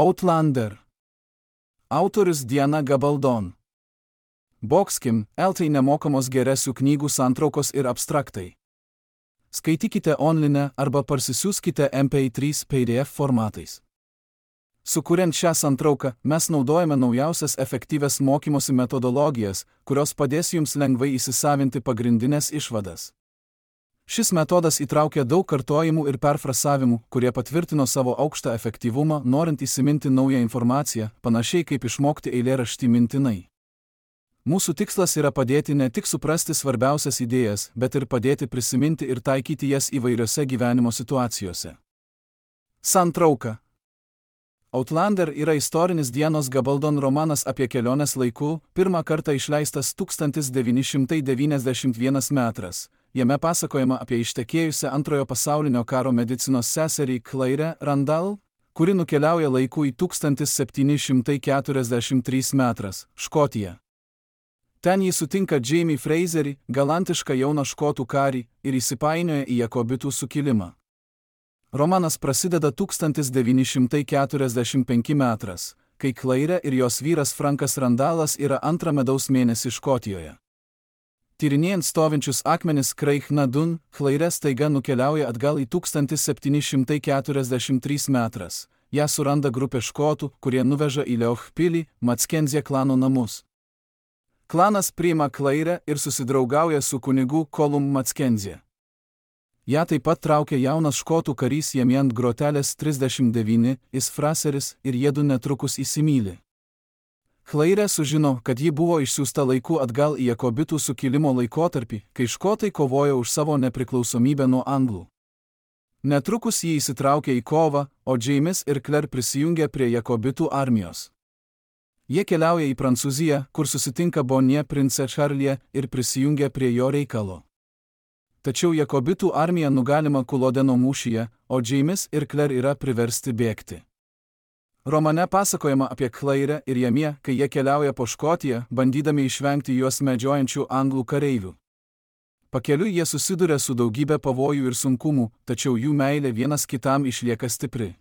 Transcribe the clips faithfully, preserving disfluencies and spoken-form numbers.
Outlander. Autorius Diana Gabaldon. Boxkim, eltai nemokamos geresių knygų santraukos ir abstraktai. Skaitykite online arba parsisiųskite M P trys P D F formatais. Sukuriant šią santrauką, mes naudojame naujausias efektyvias mokymosi metodologijas, kurios padės jums lengvai įsisavinti pagrindinės išvadas. Šis metodas įtraukia daug kartojimų ir perfrasavimų, kurie patvirtino savo aukštą efektyvumą, norint įsiminti naują informaciją, panašiai kaip išmokti eilėraštį mintinai. Mūsų tikslas yra padėti ne tik suprasti svarbiausias idėjas, bet ir padėti prisiminti ir taikyti jas įvairiose gyvenimo situacijose. Santrauka. Outlander yra istorinis Dianos Gabaldon romanas apie keliones laiku, pirmą kartą išleistas tūkstantis devyni šimtai devyniasdešimt vienas metras. Jame pasakojama apie ištekėjusią antrojo pasaulinio karo medicinos seserį Claire Randall, kuri nukeliauja laiku į tūkstantis septyni šimtai keturiasdešimt trečias metras, Škotiją. Ten jį sutinka Jamie Fraserį, galantišką jauną škotų karį, ir įsipainioja į jakobitų sukilimą. Romanas prasideda tūkstantis devyni šimtai keturiasdešimt penktas metras, kai Claire ir jos vyras Frankas Randallas yra antrą medaus mėnesį Škotijoje. Tyrinėjant stovinčius akmenis Craig na Dun, Claire staiga nukeliauja atgal į tūkstantis septyni šimtai keturiasdešimt trečias metras. Ją suranda grupė škotų, kurie nuveža į Leoch pilį, Mackenzie klano namus. Klanas priima Claire ir susidraugauja su kunigu Colum Mackenzie. Ja taip pat traukia jaunas škotų karys jame ant grotelės trisdešimt devyni, is Fraseris, ir jiedu netrukus įsimyli. Claire sužino, kad ji buvo išsiųsta laiku atgal į jakobitų sukilimo laikotarpį, kai škotai kovojo už savo nepriklausomybę nuo anglų. Netrukus ji įsitraukė į kovą, o James ir Claire prisijungė prie jakobitų armijos. Jie keliauja į Prancūziją, kur susitinka Bonnie prince Charlie ir prisijungia prie jo reikalo. Tačiau jakobitų armija nugalima Kulodeno mūšyje, o James ir Claire yra priversti bėgti. Romane pasakojama apie Claire ir Jamie, kai jie keliauja po Škotiją, bandydami išvengti juos medžiojančių anglų kareivių. Pakeliui jie susiduria su daugybė pavojų ir sunkumų, tačiau jų meilė vienas kitam išlieka stipri.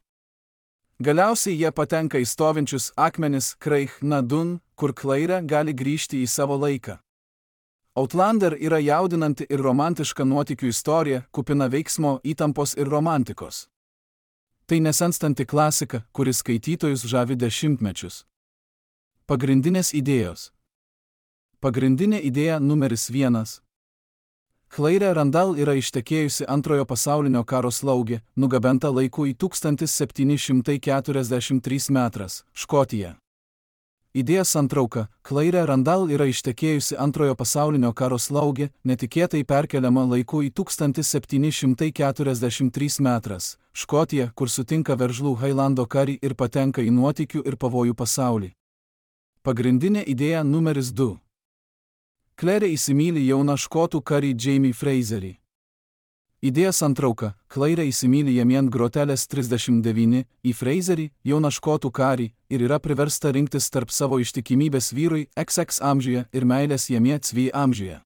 Galiausiai jie patenka į stovinčius akmenis Craig na Dun, kur Claire gali grįžti į savo laiką. Outlander yra jaudinanti ir romantiška nuotykių istorija, kupina veiksmo, įtampos ir romantikos. Tai nesenstanti klasika, kuris skaitytojus žavi dešimtmečius. Pagrindinės idėjos. Pagrindinė idėja numeris vienas. Claire Randall yra ištekėjusi antrojo pasaulinio karo slaugė, nugabenta laiku į tūkstantis septyni šimtai keturiasdešimt trečias metras, Škotija. Idėja santrauka. Claire Randall yra ištekėjusi antrojo pasaulinio karo slaugė, netikėtai perkeliama laiku į tūkstantis septyni šimtai keturiasdešimt trečias metras, Škotija, kur sutinka veržlų Hailando karį ir patenka į nuotykių ir pavojų pasaulį. Pagrindinė idėja numeris du. Claire įsimyli jauną škotų karį Jamie Fraserį. Idėja santrauka. Claire įsimyli jame ant grotelės trisdešimt devyni, į Fraserį, jauną škotų karį, ir yra priversta rinktis tarp savo ištikimybės vyrui X X amžiuje ir meilės jame C amžiuje.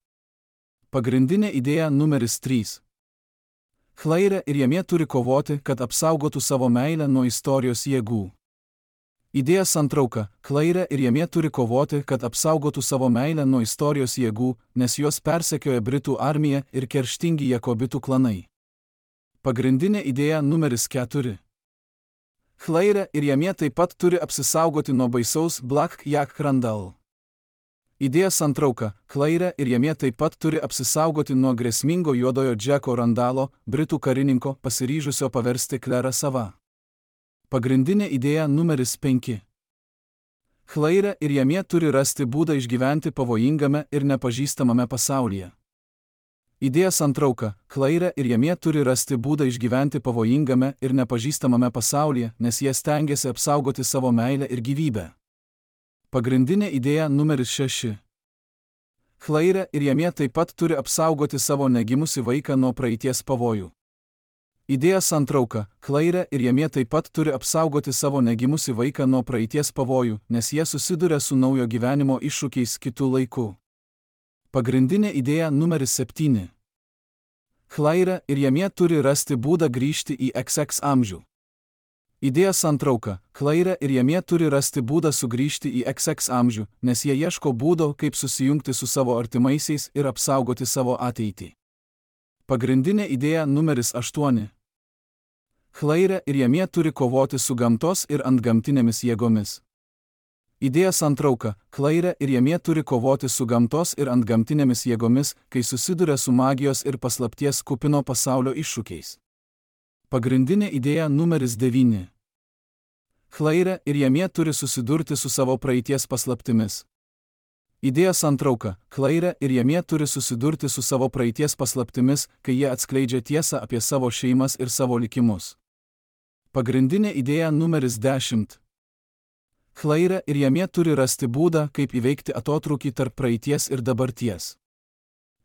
Pagrindinė idėja numeris trys. Claire ir jame turi kovoti, kad apsaugotų savo meilę nuo istorijos jėgų. Idėja santrauka. Claire ir jame turi kovoti, kad apsaugotų savo meilę nuo istorijos jėgų, nes juos persekioja Britų armija ir kerštingi jakobitų klanai. Pagrindinė idėja numeris keturi. Claire ir jame taip pat turi apsisaugoti nuo baisaus Black Jack Randall. Idėja santrauka. Claire ir jame taip pat turi apsisaugoti nuo grėsmingo juodojo Jacko Randallo, Britų karininko, pasiryžusio paversti Claire sava. Pagrindinė idėja numeris penki. Claire ir jame turi rasti būdą išgyventi pavojingame ir nepažįstamame pasaulyje. Idėja santrauka. Claire ir jame turi rasti būdą išgyventi pavojingame ir nepažįstamame pasaulyje, nes jie stengiasi apsaugoti savo meilę ir gyvybę. Pagrindinė idėja numeris šeši. Claire ir jame taip pat turi apsaugoti savo negimusį vaiką nuo praeities pavojų. Idėja santrauka. Claire ir jame taip pat turi apsaugoti savo negimusį vaiką nuo praeities pavojų, nes jie susiduria su naujo gyvenimo iššūkiais kitų laikų. Pagrindinė idėja numeris septyni. Claire ir jame turi rasti būdą grįžti į X X amžių. Idėja santrauka. Claire ir Jamie turi rasti būdą sugrįžti į iks iks amžių, nes jie ieško būdo, kaip susijungti su savo artimaisiais ir apsaugoti savo ateitį. Pagrindinė idėja numeris aštuoni. Claire ir Jamie turi kovoti su gamtos ir antgamtinėmis jėgomis. Idėja santrauka. Claire ir Jamie turi kovoti su gamtos ir antgamtinėmis jėgomis, kai susiduria su magijos ir paslapties kupino pasaulio iššūkiais. Pagrindinė idėja numeris devyni. Claire ir Jamie turi susidurti su savo praeities paslaptimis. Idėja santrauka. Claire ir Jamie turi susidurti su savo praeities paslaptimis, kai jie atskleidžia tiesą apie savo šeimas ir savo likimus. Pagrindinė idėja numeris dešimt. Claire ir Jamie turi rasti būdą, kaip įveikti atotrūkį tarp praeities ir dabarties.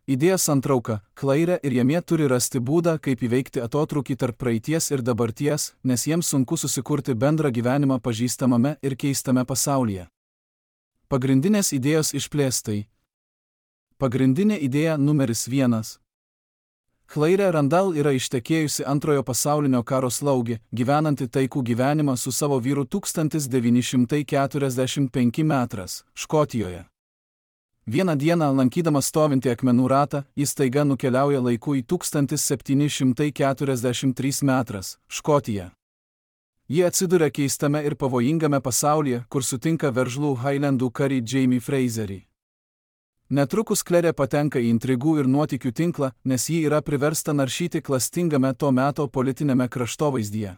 Idėja santrauka. Claire ir Jamie turi rasti būdą, kaip įveikti atotrūkį tarp praeities ir dabarties, nes jiems sunku susikurti bendrą gyvenimą pažįstamame ir keistame pasaulyje. Pagrindinės idėjos išplėstai. Pagrindinė idėja numeris vienas. Claire Randall yra ištekėjusi antrojo pasaulinio karo slaugė, gyvenanti taikų gyvenimą su savo vyru tūkstantis devyni šimtai keturiasdešimt penki metras, Škotijoje. Vieną dieną, lankydamas stovintį akmenų ratą, jis staiga nukeliauja laiku į tūkstantis septyni šimtai keturiasdešimt trys metras, Škotija. Ji atsiduria keistame ir pavojingame pasaulyje, kur sutinka veržlų Highlandų karį Jamie Fraserį. Netrukus Claire patenka į intrigų ir nuotykių tinklą, nes ji yra priversta naršyti klastingame to meto politinėme kraštovaizdyje.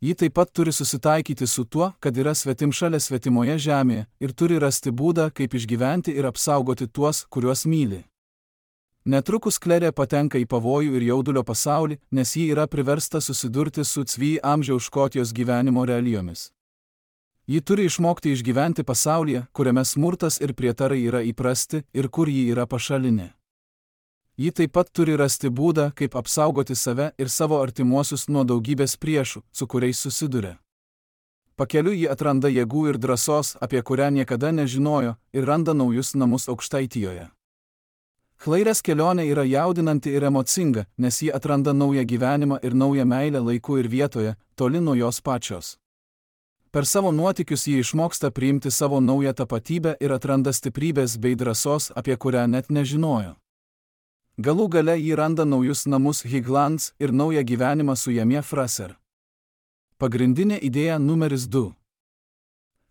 Ji taip pat turi susitaikyti su tuo, kad yra svetimšalė svetimoje žemėje ir turi rasti būdą, kaip išgyventi ir apsaugoti tuos, kuriuos myli. Netrukus Claire patenka į pavojų ir jaudulio pasaulį, nes ji yra priversta susidurti su cvy amžiaus Škotijos gyvenimo realijomis. Ji turi išmokti išgyventi pasaulyje, kuriame smurtas ir prietarai yra įprasti ir kur ji yra pašalinė. Ji taip pat turi rasti būdą, kaip apsaugoti save ir savo artimuosius nuo daugybės priešų, su kuriais susiduria. Pakeliui ji atranda jėgų ir drąsos, apie kurią niekada nežinojo, ir randa naujus namus Aukštaitijoje. Claire's kelionė yra jaudinanti ir emocinga, nes ji atranda naują gyvenimą ir naują meilę laiku ir vietoje, toli nuo jos pačios. Per savo nuotykius ji išmoksta priimti savo naują tapatybę ir atranda stiprybės bei drąsos, apie kurią net nežinojo. Galų gale ji randa naujus namus Highlands ir naują gyvenimą su Jamie Fraser. Pagrindinė idėja numeris du.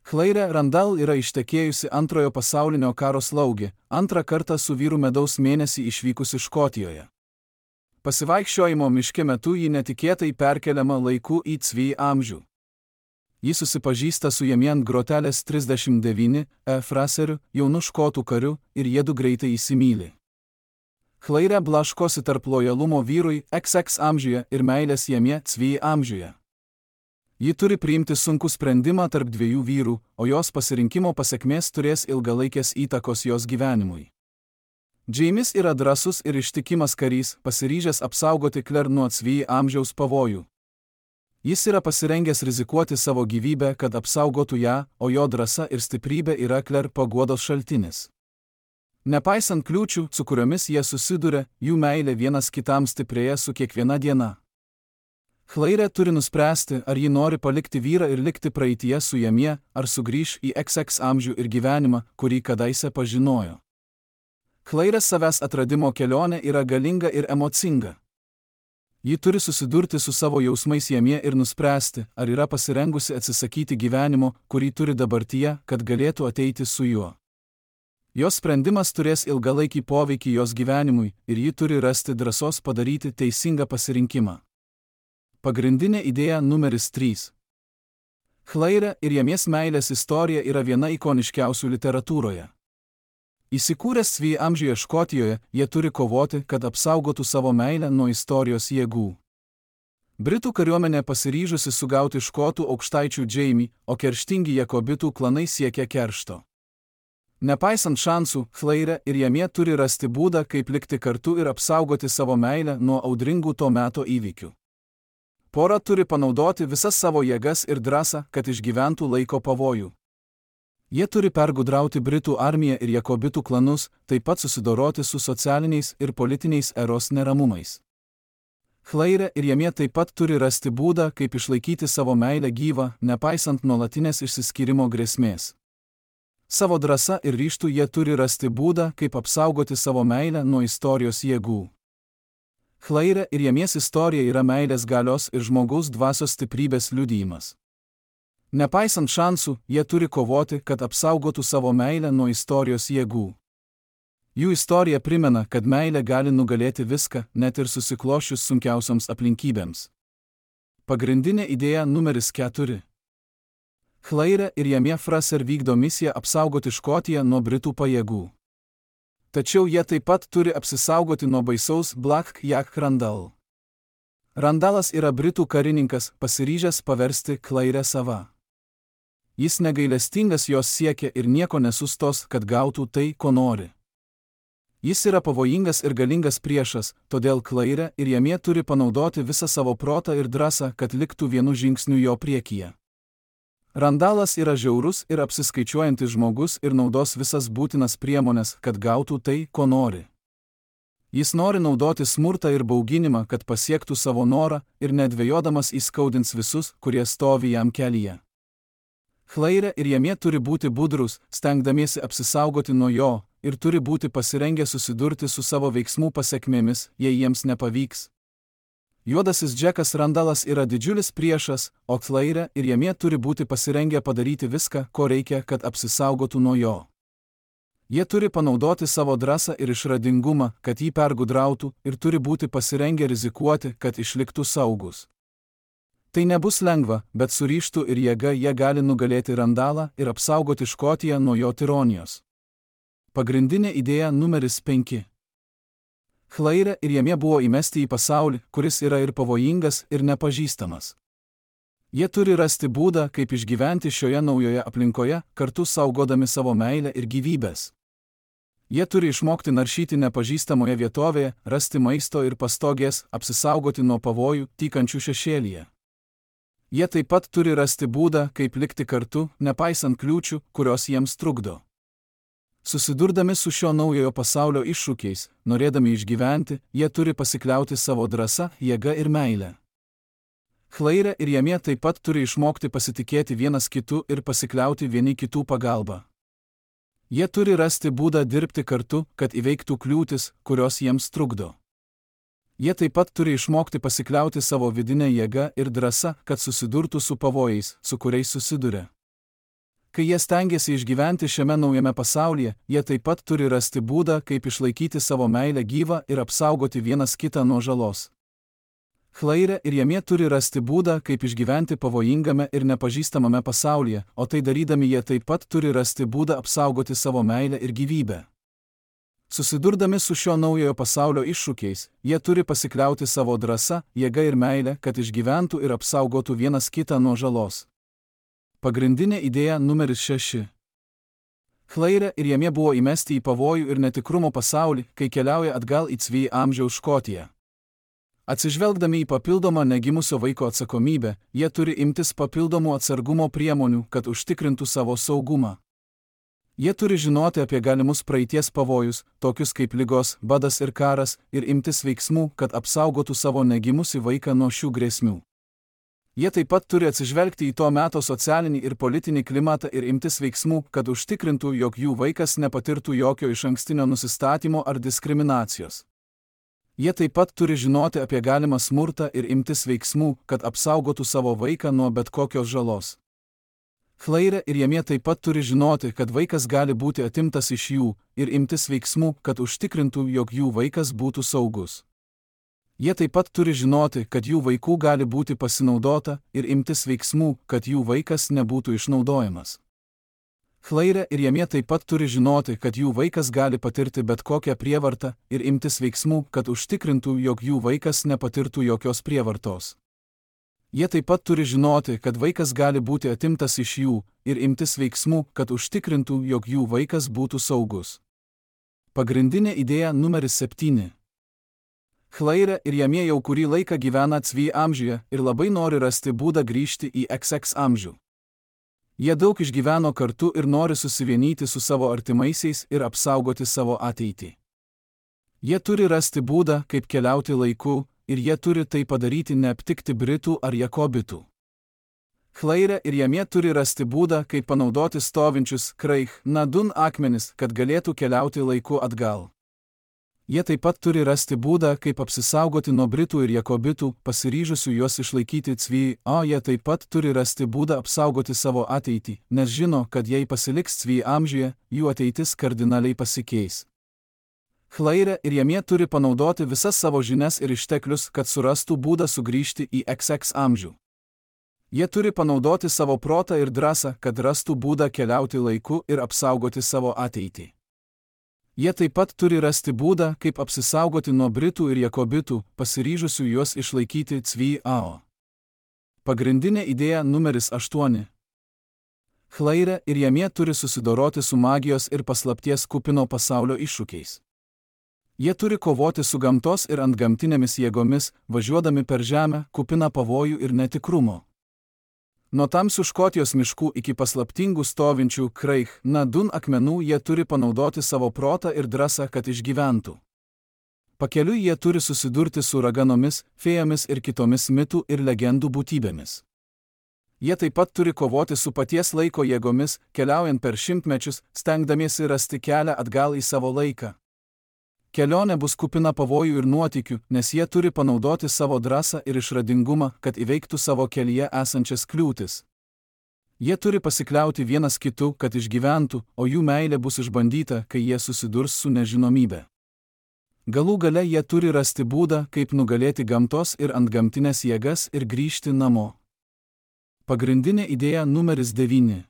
Claire Randall yra ištekėjusi antrojo pasaulinio karo slaugė, antrą kartą su vyru medaus mėnesį išvykusi Škotijoje. Pasivaikščiojimo miške metu ji netikėtai perkeliama laiku į cvy amžių. Ji susipažįsta su Jamie ant grotelės trisdešimt devyni E. Fraseriu, jaunu škotų kariu, ir jiedu greitai įsimyli. Claire blaškosi tarp lojalumo vyrui iks iks amžiuje ir meilės Jamie cvy amžiuje. Ji turi priimti sunkų sprendimą tarp dviejų vyrų, o jos pasirinkimo pasekmės turės ilgalaikės įtakos jos gyvenimui. Jamies yra drąsus ir ištikimas karys, pasiryžęs apsaugoti Claire nuo cvy amžiaus pavojų. Jis yra pasirengęs rizikuoti savo gyvybę, kad apsaugotų ją, o jo drąsa ir stiprybė yra Claire paguodos šaltinis. Nepaisant kliūčių, su kuriomis jie susiduria, jų meilė vienas kitam stiprėja su kiekviena diena. Claire turi nuspręsti, ar ji nori palikti vyrą ir likti praeityje su Jamie, ar sugrįš į iks iks amžių ir gyvenimą, kurį kadaise pažinojo. Claire's savęs atradimo kelionė yra galinga ir emocinga. Ji turi susidurti su savo jausmais Jamie ir nuspręsti, ar yra pasirengusi atsisakyti gyvenimo, kurį turi dabartyje, kad galėtų ateiti su juo. Jos sprendimas turės ilgalaikį poveikį jos gyvenimui ir ji turi rasti drąsos padaryti teisingą pasirinkimą. Pagrindinė idėja numeris trys. Claire ir Jamies meilės istorija yra viena ikoniškiausių literatūroje. Įsikūręs cvy amžiuje Škotijoje, jie turi kovoti, kad apsaugotų savo meilę nuo istorijos jėgų. Britų kariuomenė pasiryžusi sugauti škotų aukštaičių Jamie, o kerštingi jakobitų klanai siekia keršto. Nepaisant šansų, Claire ir Jamie turi rasti būdą, kaip likti kartu ir apsaugoti savo meilę nuo audringų to meto įvykių. Pora turi panaudoti visas savo jėgas ir drąsą, kad išgyventų laiko pavojų. Jie turi pergudrauti Britų armiją ir jakobitų klanus, taip pat susidoroti su socialiniais ir politiniais eros neramumais. Chlaire ir Jamė taip pat turi rasti būdą, kaip išlaikyti savo meilę gyvą, nepaisant nuolatinės išsiskyrimo grėsmės. Savo drąsa ir ryžtu jie turi rasti būdą, kaip apsaugoti savo meilę nuo istorijos jėgų. Chlaire ir Jamės istorija yra meilės galios ir žmogaus dvasios stiprybės liudijimas. Nepaisant šansų, jie turi kovoti, kad apsaugotų savo meilę nuo istorijos jėgų. Jų istorija primena, kad meilė gali nugalėti viską, net ir susiklošius sunkiausioms aplinkybėms. Pagrindinė idėja numeris keturi. Chlaire ir Jamė Fraser vykdo misiją apsaugoti Škotiją nuo Britų pajėgų. Tačiau jie taip pat turi apsisaugoti nuo baisaus Black Jack Randall. Randalas yra Britų karininkas, pasiryžęs paversti Chlaire sava. Jis negailestingas jos siekia ir nieko nesustos, kad gautų tai, ko nori. Jis yra pavojingas ir galingas priešas, todėl Chlaire ir Jamė turi panaudoti visą savo protą ir drąsą, kad liktų vienu žingsniu jo priekyje. Randalas yra žiaurus ir apsiskaičiuojantis žmogus ir naudos visas būtinas priemonės, kad gautų tai, ko nori. Jis nori naudoti smurtą ir bauginimą, kad pasiektų savo norą ir nedvejodamas įskaudins visus, kurie stovi jam kelyje. Chlaire ir Jamė turi būti budrus, stengdamiesi apsisaugoti nuo jo, ir turi būti pasirengę susidurti su savo veiksmų pasekmėmis, jei jiems nepavyks. Juodasis Džekas Randalas yra didžiulis priešas, o Chlaire ir Jamė turi būti pasirengę padaryti viską, ko reikia, kad apsisaugotų nuo jo. Jie turi panaudoti savo drąsą ir išradingumą, kad jį pergudrautų, ir turi būti pasirengę rizikuoti, kad išliktų saugus. Tai nebus lengva, bet su ryžtu ir jėga jie gali nugalėti Randalą ir apsaugoti Škotiją nuo jo tironijos. Pagrindinė idėja numeris penki. Chlaire ir Jamė buvo įmesti į pasaulį, kuris yra ir pavojingas, ir nepažįstamas. Jie turi rasti būdą, kaip išgyventi šioje naujoje aplinkoje, kartu saugodami savo meilę ir gyvybės. Jie turi išmokti naršyti nepažįstamoje vietovėje, rasti maisto ir pastogės, apsisaugoti nuo pavojų, tykančių šešėlyje. Jie taip pat turi rasti būdą, kaip likti kartu, nepaisant kliūčių, kurios jiems trukdo. Susidurdami su šio naujojo pasaulio iššūkiais, norėdami išgyventi, jie turi pasikliauti savo drąsa, jėga ir meilę. Chlaire ir Jamė taip pat turi išmokti pasitikėti vienas kitu ir pasikliauti vieni kitų pagalba. Jie turi rasti būdą dirbti kartu, kad įveiktų kliūtis, kurios jiems trukdo. Jie taip pat turi išmokti pasikliauti savo vidinę jėgą ir drąsą, kad susidurtų su pavojais, su kuriais susiduria. Kai jie stengiasi išgyventi šiame naujame pasaulyje, jie taip pat turi rasti būdą, kaip išlaikyti savo meilę gyvą ir apsaugoti vienas kitą nuo žalos. Chlaire ir Jamė turi rasti būdą, kaip išgyventi pavojingame ir nepažįstamame pasaulyje, o tai darydami jie taip pat turi rasti būdą apsaugoti savo meilę ir gyvybę. Susidurdami su šio naujojo pasaulio iššūkiais, jie turi pasikliauti savo drąsa, jėga ir meilę, kad išgyventų ir apsaugotų vienas kitą nuo žalos. Pagrindinė idėja numeris šeši. Chlaire ir Jamė buvo įmesti į pavojų ir netikrumo pasaulį, kai keliauja atgal į Cvy amžiaus Škotiją. Atsižvelgdami į papildomą negimusio vaiko atsakomybę, jie turi imtis papildomų atsargumo priemonių, kad užtikrintų savo saugumą. Jie turi žinoti apie galimus praeities pavojus, tokius kaip ligos, badas ir karas, ir imtis veiksmų, kad apsaugotų savo negimusį vaiką nuo šių grėsmių. Jie taip pat turi atsižvelgti į to meto socialinį ir politinį klimatą ir imtis veiksmų, kad užtikrintų, jog jų vaikas nepatirtų jokio išankstinio nusistatymo ar diskriminacijos. Jie taip pat turi žinoti apie galimą smurtą ir imtis veiksmų, kad apsaugotų savo vaiką nuo bet kokios žalos. Chlaire ir Jamė taip pat turi žinoti, kad vaikas gali būti atimtas iš jų, ir imtis veiksmų, kad užtikrintų, jog jų vaikas būtų saugus. Jie taip pat turi žinoti, kad jų vaikų gali būti pasinaudota, ir imtis veiksmų, kad jų vaikas nebūtų išnaudojamas. Chlaire ir Jamė taip pat turi žinoti, kad jų vaikas gali patirti bet kokią prievartą, ir imtis veiksmų, kad užtikrintų, jog jų vaikas nepatirtų jokios prievartos. Jie taip pat turi žinoti, kad vaikas gali būti atimtas iš jų, ir imtis veiksmų, kad užtikrintų, jog jų vaikas būtų saugus. Pagrindinė idėja numeris septyni. Chlaire ir Jamė jau kurį laiką gyvena Cvy amžiuje ir labai nori rasti būdą grįžti į X X amžių. Jie daug išgyveno kartu ir nori susivienyti su savo artimaisiais ir apsaugoti savo ateitį. Jie turi rasti būdą, kaip keliauti laiku, ir jie turi tai padaryti neaptikti Britų ar Jakobitų. Chlaire ir Jamė turi rasti būdą, kaip panaudoti stovinčius Kraich Nadun akmenis, kad galėtų keliauti laiku atgal. Jie taip pat turi rasti būdą, kaip apsisaugoti nuo Britų ir Jakobitų, pasiryžusių juos išlaikyti Cvy, o jie taip pat turi rasti būdą apsaugoti savo ateitį, nes žino, kad jei pasiliks Cvy amžiuje, jų ateitis kardinaliai pasikeis. Chlaire ir Jamė turi panaudoti visas savo žinias ir išteklius, kad surastų būdą sugrįžti į X X amžių. Jie turi panaudoti savo protą ir drąsą, kad rastų būdą keliauti laiku ir apsaugoti savo ateitį. Jie taip pat turi rasti būdą, kaip apsisaugoti nuo Britų ir Jakobitų, pasiryžusių juos išlaikyti Cvy ao. Pagrindinė idėja numeris aštuoni. Chlaire ir Jamė turi susidoroti su magijos ir paslapties kupino pasaulio iššūkiais. Jie turi kovoti su gamtos ir antgamtinėmis jėgomis, važiuodami per žemę, kupiną pavojų ir netikrumo. Nuo tamsių Škotijos miškų iki paslaptingų stovinčių Kraich Nadun akmenų jie turi panaudoti savo protą ir drąsą, kad išgyventų. Pakeliui jie turi susidurti su raganomis, fėjomis ir kitomis mitų ir legendų būtybėmis. Jie taip pat turi kovoti su paties laiko jėgomis, keliaujant per šimtmečius, stengdamiesi rasti kelią atgal į savo laiką. Kelionė bus kupina pavojų ir nuotykių, nes jie turi panaudoti savo drąsą ir išradingumą, kad įveiktų savo kelyje esančias kliūtis. Jie turi pasikliauti vienas kitu, kad išgyventų, o jų meilė bus išbandyta, kai jie susidurs su nežinomybe. Galų gale jie turi rasti būdą, kaip nugalėti gamtos ir antgamtinės jėgas ir grįžti namo. Pagrindinė idėja numeris devyni.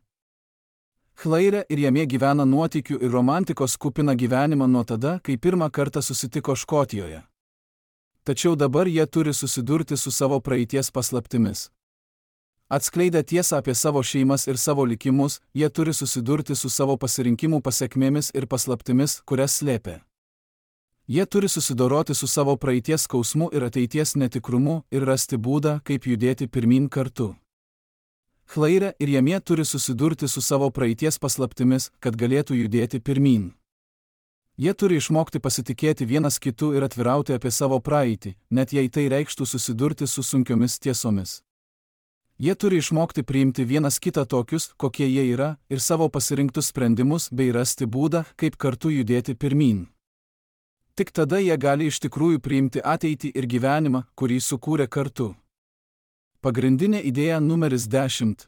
Chlaire ir Jamė gyvena nuotykių ir romantikos kupiną gyvenimą nuo tada, kai pirmą kartą susitiko Škotijoje. Tačiau dabar jie turi susidurti su savo praeities paslaptimis. Atskleidę tiesą apie savo šeimas ir savo likimus, jie turi susidurti su savo pasirinkimų pasekmėmis ir paslaptimis, kurias slėpė. Jie turi susidoroti su savo praeities skausmu ir ateities netikrumu ir rasti būdą, kaip judėti pirmyn kartu. Chlaire ir Jamė turi susidurti su savo praeities paslaptimis, kad galėtų judėti pirmyn. Jie turi išmokti pasitikėti vienas kitu ir atvirauti apie savo praeitį, net jei tai reikštų susidurti su sunkiomis tiesomis. Jie turi išmokti priimti vienas kitą tokius, kokie jie yra, ir savo pasirinktus sprendimus bei rasti būdą, kaip kartu judėti pirmyn. Tik tada jie gali iš tikrųjų priimti ateitį ir gyvenimą, kurį sukūrė kartu. Pagrindinė idėja numeris dešimt.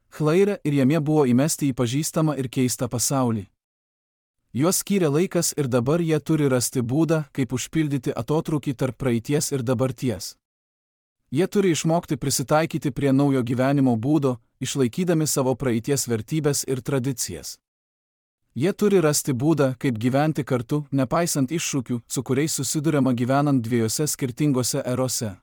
Chlaire ir Jamė buvo įmesti į pažįstamą ir keistą pasaulį. Juos skyrė laikas ir dabar jie turi rasti būdą, kaip užpildyti atotrūkį tarp praeities ir dabarties. Jie turi išmokti prisitaikyti prie naujo gyvenimo būdo, išlaikydami savo praeities vertybės ir tradicijas. Jie turi rasti būdą, kaip gyventi kartu, nepaisant iššūkių, su kuriais susiduriama gyvenant dviejose skirtingose erose.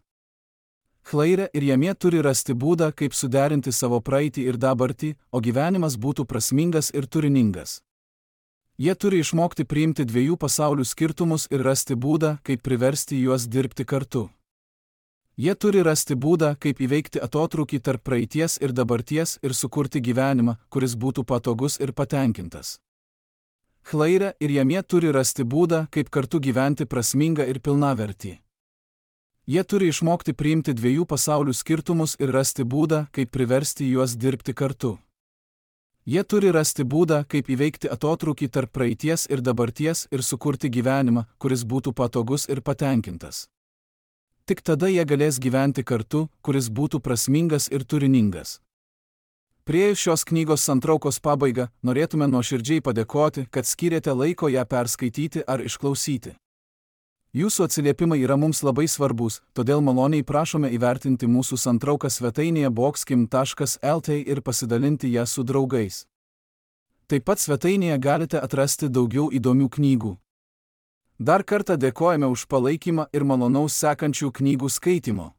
Chlaire ir Jamė turi rasti būdą, kaip suderinti savo praeitį ir dabartį, o gyvenimas būtų prasmingas ir turiningas. Jie turi išmokti priimti dviejų pasaulių skirtumus ir rasti būdą, kaip priversti juos dirbti kartu. Jie turi rasti būdą, kaip įveikti atotrūkį tarp praeities ir dabarties ir sukurti gyvenimą, kuris būtų patogus ir patenkintas. Chlaire ir Jamė turi rasti būdą, kaip kartu gyventi prasmingą ir pilnavertį. Jie turi išmokti priimti dviejų pasaulių skirtumus ir rasti būdą, kaip priversti juos dirbti kartu. Jie turi rasti būdą, kaip įveikti atotrūkį tarp praeities ir dabarties ir sukurti gyvenimą, kuris būtų patogus ir patenkintas. Tik tada jie galės gyventi kartu, kuris būtų prasmingas ir turiningas. Priėjus šios knygos santraukos pabaigą, norėtume nuoširdžiai padėkoti, kad skyrėte laiko ją perskaityti ar išklausyti. Jūsų atsiliepimai yra mums labai svarbus, todėl maloniai prašome įvertinti mūsų santrauką svetainėje boxkim taškas el tė ir pasidalinti ją su draugais. Taip pat svetainėje galite atrasti daugiau įdomių knygų. Dar kartą dėkojame už palaikymą ir malonaus sekančių knygų skaitimo.